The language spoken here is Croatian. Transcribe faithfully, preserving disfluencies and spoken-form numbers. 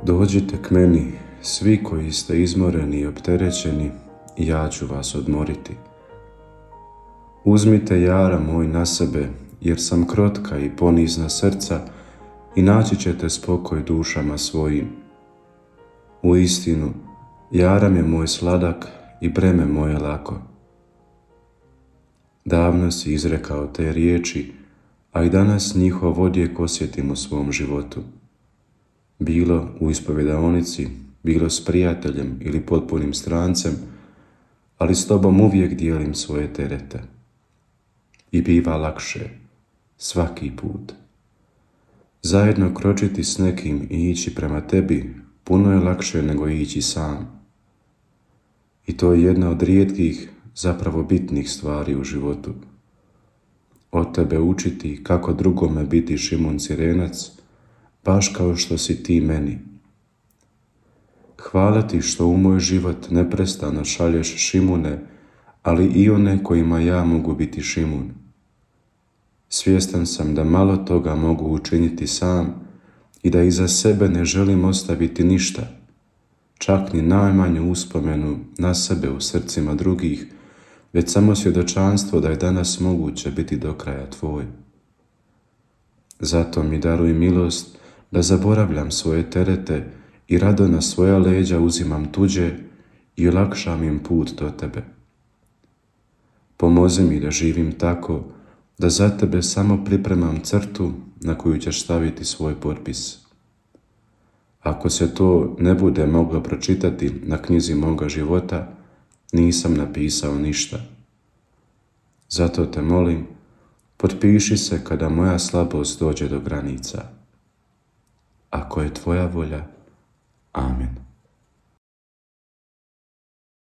Dođite k meni, svi koji ste izmoreni i opterećeni, i ja ću vas odmoriti. Uzmite jara moj na sebe, jer sam krotka i ponizna srca, i naći ćete spokoj dušama svojim. Uistinu, jaram je moj sladak i breme moje lako. Davno si izrekao te riječi, a i danas njihov odjek osjetim u svom životu. Bilo u ispovjedaonici, bilo s prijateljem ili potpunim strancem, ali s tobom uvijek dijelim svoje terete. I biva lakše, svaki put. Zajedno kročiti s nekim i ići prema tebi puno je lakše nego ići sam. I to je jedna od rijetkih, zapravo bitnih stvari u životu. Od tebe učiti kako drugome biti Šimun Cirenac, baš kao što si ti meni. Hvala ti što u moj život neprestano šalješ Šimune, ali i one kojima ja mogu biti Šimun. Svjestan sam da malo toga mogu učiniti sam i da iza sebe ne želim ostaviti ništa, čak ni najmanju uspomenu na sebe u srcima drugih, već samo svjedočanstvo da je danas moguće biti do kraja tvoj. Zato mi daruj milost da zaboravljam svoje terete i rado na svoja leđa uzimam tuđe i olakšam im put do tebe. Pomozi mi da živim tako da za tebe samo pripremam crtu na koju ćeš staviti svoj potpis. Ako se to ne bude moglo pročitati na knjizi moga života, nisam napisao ništa. Zato te molim, potpiši se kada moja slabost dođe do granica. Ako je tvoja volja, amen.